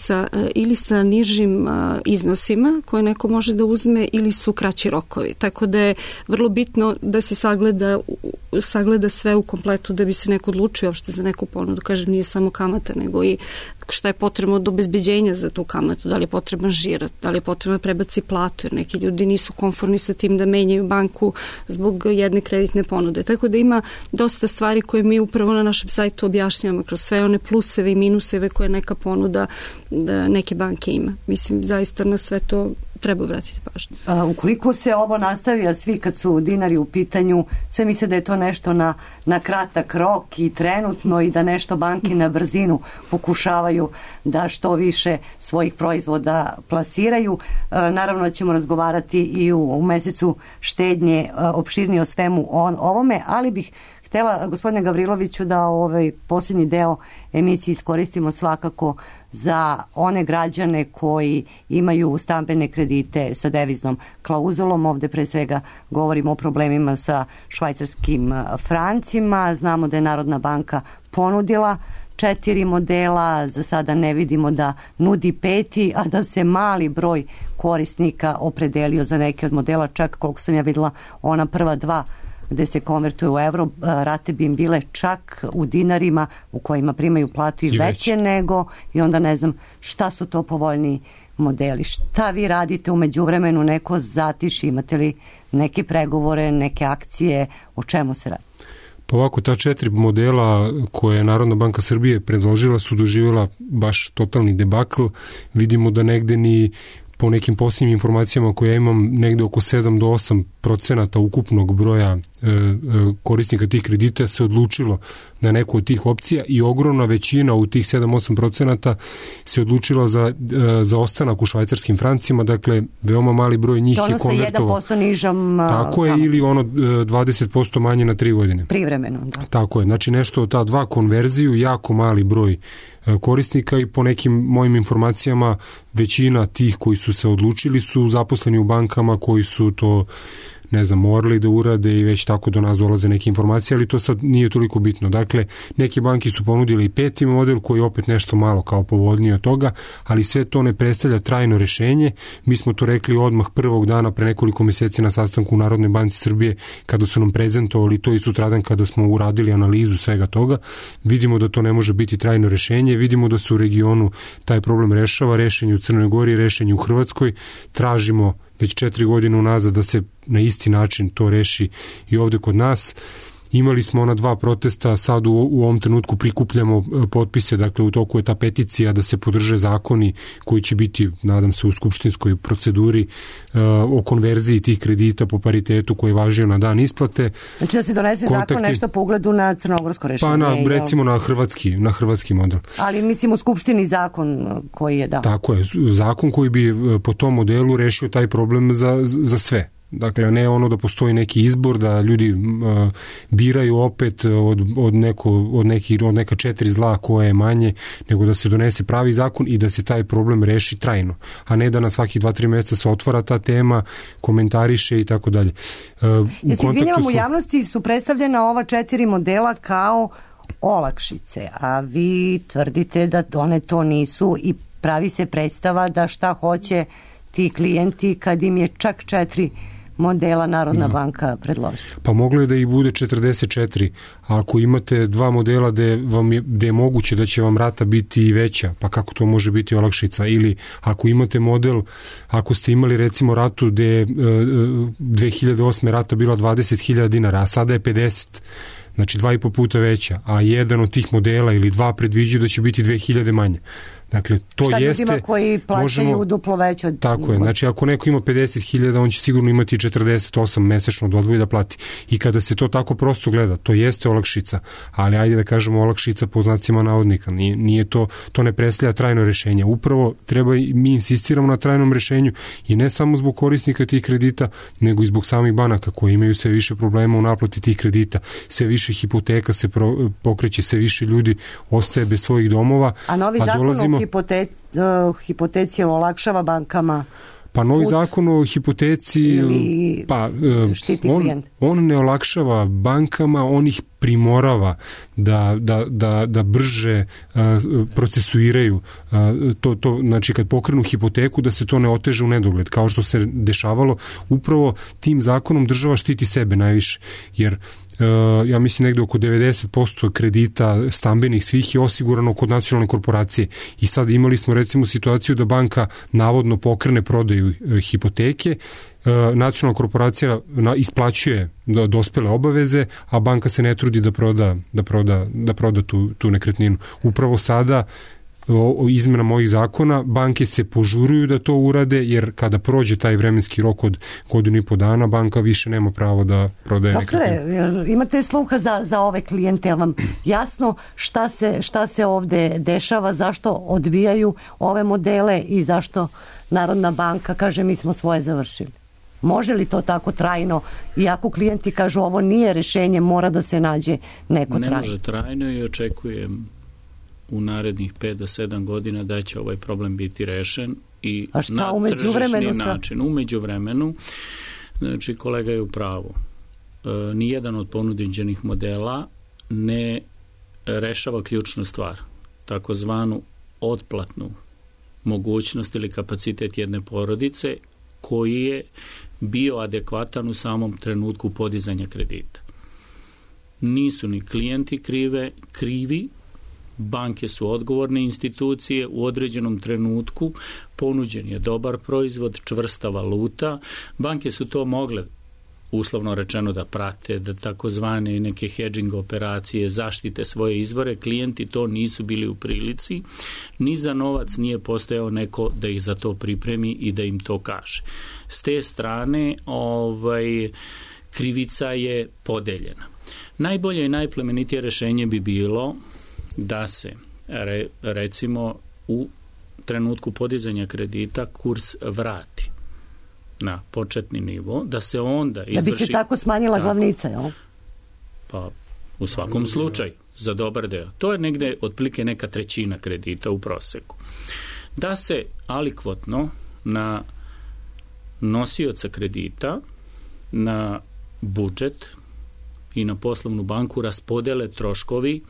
ili sa nižim iznosima koje neko može da uzme ili su kraći rokovi. Tako da je vrlo bitno da se sagleda sve u kompletu da bi se neko odlučio uopšte za neku ponudu. Kažem, nije samo kamata, nego i šta je potrebno od obezbeđenja za tu kamatu, da li je potreban žirat, da li je potrebno prebaci platu, jer neki ljudi nisu konforni sa tim da menjaju banku zbog jedne kreditne ponude. Tako da ima dosta stvari koje mi upravo na našem sajtu objašnjavamo kroz sve one pluseve i minuseve koje neka ponuda neke banke ima. Mislim, zaista na sve to treba obratiti pažnju. Ukoliko se ovo nastavi, a svi kad su dinari u pitanju, sve misle da je to nešto na kratak rok i trenutno i da nešto banke na brzinu pokušavaju da što više svojih proizvoda plasiraju. Naravno ćemo razgovarati i u mesecu štednje opširnije o svemu ovome, ali bih htjela, gospodine Gavriloviću, da ovaj posljednji deo emisije iskoristimo svakako za one građane koji imaju stambene kredite sa deviznom klauzulom. Ovde pre svega govorimo o problemima sa švajcarskim francima. Znamo da je Narodna banka ponudila 4 modela, za sada ne vidimo da nudi 5, a da se mali broj korisnika opredelio za neke od modela, čak koliko sam ja videla ona prva 2 gde se konvertuje u euro, rate bi im bile čak u dinarima u kojima primaju platu i veće nego, i onda ne znam šta su to povoljniji modeli. Šta vi radite u međuvremenu, neko zatiši, imate li neke pregovore, neke akcije, o čemu se radi? Pa ovako, ta 4 modela koje je Narodna banka Srbije predložila su doživjela baš totalni debakl. Vidimo da negde ni po nekim posljednjim informacijama koje ja imam, negde oko 7 do 8% ukupnog broja korisnika tih kredita se odlučilo na neku od tih opcija i ogromna većina u tih 7-8% se odlučila za ostanak u švajcarskim francima, dakle veoma mali broj njih je konvertovao. To 1% nižom. Tako je, ili ono 20% manje na 3 godine. Privremeno, da. Tako je, znači nešto od ta 2 konverziju, jako mali broj korisnika i po nekim mojim informacijama većina tih koji su se odlučili su zaposleni u bankama koji su to morali da urade i već tako do nas dolaze neke informacije, ali to sad nije toliko bitno. Dakle, neke banke su ponudili i 5. model koji je opet nešto malo kao povoljnije od toga, ali sve to ne predstavlja trajno rešenje. Mi smo to rekli odmah prvog dana pre nekoliko meseci na sastanku u Narodnoj banci Srbije kada su nam prezentovali to i sutradan kada smo uradili analizu svega toga. Vidimo da to ne može biti trajno rešenje, vidimo da se u regionu taj problem rešava, rešenje u Crnoj Gori, rešenje u Hrvatskoj, tražimo već 4 godine unazad da se na isti način to reši i ovde kod nas. Imali smo ona 2 protesta, sad u ovom trenutku prikupljamo potpise, dakle u toku je ta peticija da se podrže zakoni koji će biti, nadam se, u skupštinskoj proceduri o konverziji tih kredita po paritetu koji je važio na dan isplate. Znači da se donese zakon nešto po ugledu na crnogorsko rešenje? Pa recimo na hrvatski model. Ali mislim u skupštini zakon koji je dao. Tako je, zakon koji bi po tom modelu rešio taj problem za sve. Dakle, ne ono da postoji neki izbor, da ljudi biraju opet od neka 4 zla koje je manje, nego da se donese pravi zakon i da se taj problem reši trajno, a ne da na svakih 2-3 mjeseca se otvara ta tema, komentariše i tako dalje. Ja se izvinjavam, u javnosti su predstavljena ova 4 modela kao olakšice, a vi tvrdite da one to nisu i pravi se predstava da šta hoće ti klijenti kad im je čak 4 modela Narodna banka predložila. Pa moglo je da ih bude 44, a ako imate 2 modela gde je moguće da će vam rata biti i veća, pa kako to može biti olakšica? Ili ako imate model, ako ste imali recimo ratu gde je 2008. rata bila 20.000 dinara, a sada je 50, znači 2,5 puta veća, a jedan od tih modela ili 2 predviđaju da će biti 2.000 manje. Dakle, to šta jeste... Šta ljudima koji plaćaju duplo veće od... Tako je, znači ako neko ima 50.000, on će sigurno imati 48 mesečno da odvoji da plati. I kada se to tako prosto gleda, to jeste olakšica, ali ajde da kažemo olakšica po znacima navodnika. Nije to ne predstavlja trajno rešenje. Upravo mi insistiramo na trajnom rešenju i ne samo zbog korisnika tih kredita, nego i zbog samih banaka koji imaju sve više problema u naplati tih kredita. Sve više hipoteka se pokreće, sve više ljudi ostaje bez svojih domova. A novi zakon o hipoteci olakšava bankama? Pa novi zakon o hipoteci on ne olakšava bankama, on ih primorava da brže procesuiraju to, znači kad pokrenu hipoteku da se to ne oteže u nedogled, kao što se dešavalo. Upravo tim zakonom država štiti sebe najviše, jer ja mislim negde oko 90% kredita stambenih svih je osigurano kod nacionalne korporacije i sad imali smo recimo situaciju da banka navodno pokrene prodaju hipoteke, nacionalna korporacija isplaćuje dospele obaveze, a banka se ne trudi da proda tu nekretninu. Upravo sada o izmenama ovih zakona, banke se požuruju da to urade, jer kada prođe taj vremenski rok od godinu i po dana, banka više nema pravo da prodaje nekretnine. Imate sluha za ove klijente, vam jasno šta se ovde dešava, zašto odbijaju ove modele i zašto Narodna banka kaže mi smo svoje završili? Može li to tako trajno, iako klijenti kažu ovo nije rešenje, mora da se nađe neko trajno? Ne može trajno i očekujem u narednih 5 do 7 godina da će ovaj problem biti rešen i na tržišni način. U međuvremenu, znači kolega je u pravu, nijedan od ponuđenih modela ne rešava ključnu stvar, takozvanu otplatnu mogućnost ili kapacitet jedne porodice koji je bio adekvatan u samom trenutku podizanja kredita. Nisu ni klijenti krivi, banke su odgovorne institucije, u određenom trenutku ponuđen je dobar proizvod, čvrsta valuta, banke su to mogle uslovno rečeno da prate, da takozvane neke hedging operacije zaštite svoje izvore, klijenti to nisu bili u prilici, ni za novac nije postojao neko da ih za to pripremi i da im to kaže. S te strane krivica je podeljena. Najbolje i najplemenitije rešenje bi bilo da se recimo u trenutku podizanja kredita kurs vrati na početni nivo, da se onda izvrši... Da bi se tako smanjila glavnica, jel? Pa, u svakom slučaju, za dobar deo. To je negde otprilike neka trećina kredita u proseku. Da se alikvotno na nosioca kredita, na budžet i na poslovnu banku raspodele troškovi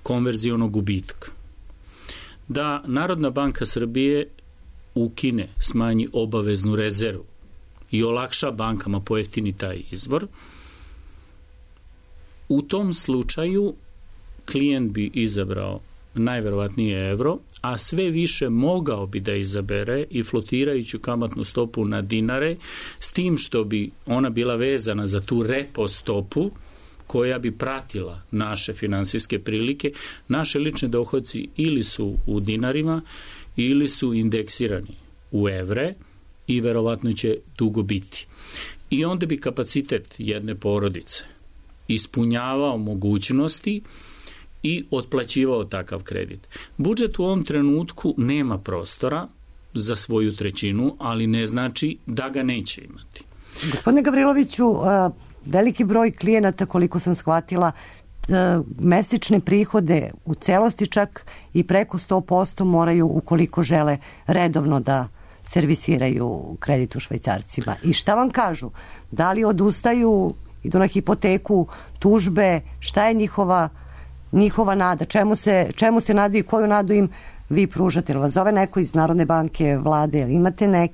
konverzionog gubitka. Da Narodna banka Srbije ukine, smanji obaveznu rezervu i olakša bankama pojeftini taj izvor, u tom slučaju klijent bi izabrao najverovatnije evro, a sve više mogao bi da izabere i flotirajuću kamatnu stopu na dinare, s tim što bi ona bila vezana za tu repo stopu koja bi pratila naše finansijske prilike. Naše lične dohodci ili su u dinarima ili su indeksirani u evre i verovatno će dugo biti. I onda bi kapacitet jedne porodice ispunjavao mogućnosti i otplaćivao takav kredit. Budžet u ovom trenutku nema prostora za svoju trećinu, ali ne znači da ga neće imati. Gospodine Gavriloviću, veliki broj klijenata, koliko sam shvatila, mesečne prihode u celosti čak i preko 100% moraju, ukoliko žele redovno da servisiraju kredit u švajcarcima. I šta vam kažu? Da li odustaju, idu na hipoteku, tužbe, šta je njihova nada? Čemu se nadaju i koju nadu im vi pružate? Vas zove neko iz Narodne banke, vlade? Imate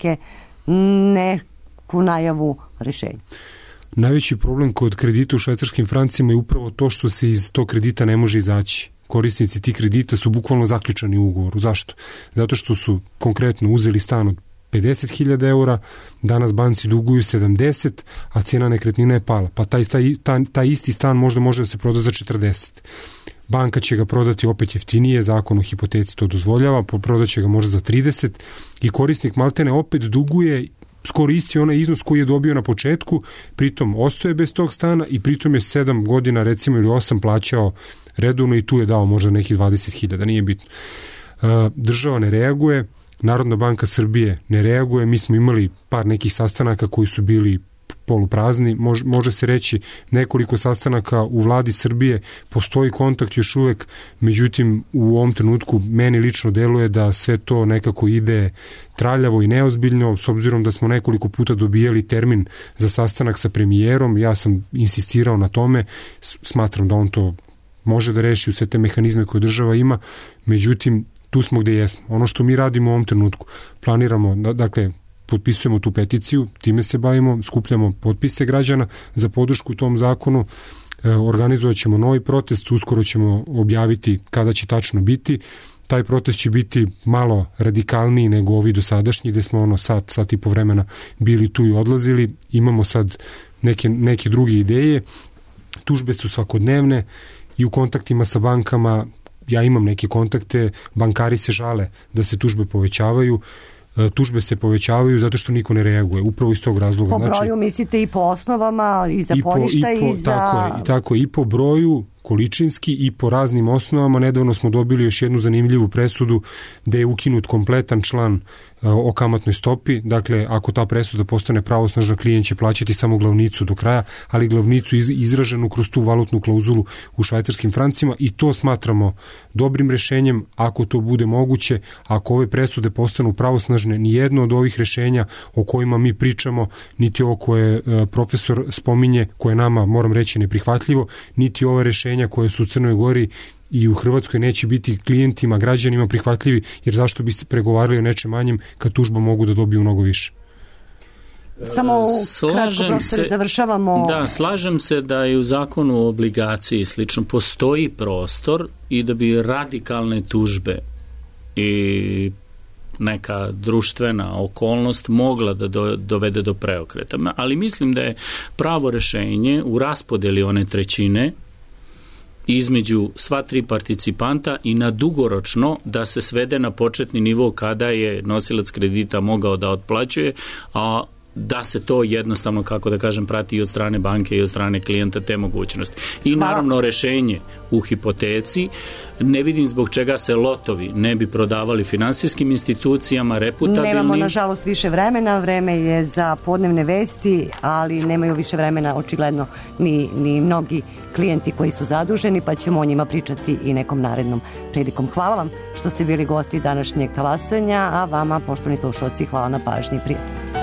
neku najavu rešenja? Najveći problem kod kredita u švajcarskim francima je upravo to što se iz tog kredita ne može izaći. Korisnici tih kredita su bukvalno zaključani u ugovoru. Zašto? Zato što su konkretno uzeli stan od 50.000 eura, danas banci duguju 70, a cijena nekretnina je pala. Pa taj isti stan možda može da se proda za 40. Banka će ga prodati opet jeftinije, zakon o hipoteci to dozvoljava, prodat će ga možda za 30 i korisnik maltene opet duguje skoro isti onaj iznos koji je dobio na početku, pritom ostaje bez tog stana i pritom je 7 godina recimo ili 8 plaćao redovno i tu je dao možda nekih 20.000, nije bitno. Država ne reaguje, Narodna banka Srbije ne reaguje, mi smo imali par nekih sastanaka koji su bili poluprazni, može se reći nekoliko sastanaka u vladi Srbije, postoji kontakt još uvek, međutim u ovom trenutku meni lično deluje da sve to nekako ide traljavo i neozbiljno, s obzirom da smo nekoliko puta dobijali termin za sastanak sa premijerom, ja sam insistirao na tome, smatram da on to može da reši u sve te mehanizme koje država ima, međutim tu smo gde jesmo. Ono što mi radimo u ovom trenutku, planiramo, dakle, potpisujemo tu peticiju, time se bavimo, skupljamo potpise građana za podršku tom zakonu, organizovat ćemo novi protest, uskoro ćemo objaviti kada će tačno biti. Taj protest će biti malo radikalniji nego ovi dosadašnji, gde smo sat i po vremena bili tu i odlazili. Imamo sad neke druge ideje. Tužbe su svakodnevne i u kontaktima sa bankama ja imam neke kontakte, bankari se žale da se tužbe povećavaju, tužbe se povećavaju zato što niko ne reaguje, upravo iz tog razloga. Po broju mislite i po osnovama, i za poništaj, i za... Tako je, i po broju, količinski i po raznim osnovama. Nedavno smo dobili još jednu zanimljivu presudu gde je ukinut kompletan član o kamatnoj stopi. Dakle, ako ta presuda postane pravosnažna, klijent će plaćati samo glavnicu do kraja, ali glavnicu izraženu kroz tu valutnu klauzulu u švajcarskim francima, i to smatramo dobrim rešenjem ako to bude moguće. Ako ove presude postanu pravosnažne, ni jedno od ovih rešenja o kojima mi pričamo, niti ovo koje profesor spominje, koje nama, moram reći, neprihvatljivo, niti ove rešenja koje su u Crnoj Gori i u Hrvatskoj neće biti klijentima, građanima prihvatljivi, jer zašto bi se pregovarali o nečem manjem kad tužba mogu da dobiju mnogo više. Samo kratko, profesor, završavamo. Da, slažem se da i u zakonu o obligaciji slično postoji prostor i da bi radikalne tužbe i neka društvena okolnost mogla da dovede do preokreta. Ali mislim da je pravo rešenje u raspodeli one trećine između sva tri participanta i na dugoročno da se svede na početni nivo kada je nosilac kredita mogao da otplaćuje, a da se to jednostavno, kako da kažem, prati i od strane banke i od strane klijenta te mogućnosti. I naravno rešenje u hipoteci, ne vidim zbog čega se lotovi ne bi prodavali finansijskim institucijama, reputabilnim. Nemamo nažalost više vremena, vreme je za podnevne vesti, ali nemaju više vremena očigledno ni mnogi klijenti koji su zaduženi, pa ćemo o njima pričati i nekom narednom prilikom. Hvala vam što ste bili gosti današnjeg talasanja, a vama, poštovani slušalci, hvala na pažnji. Prijatno.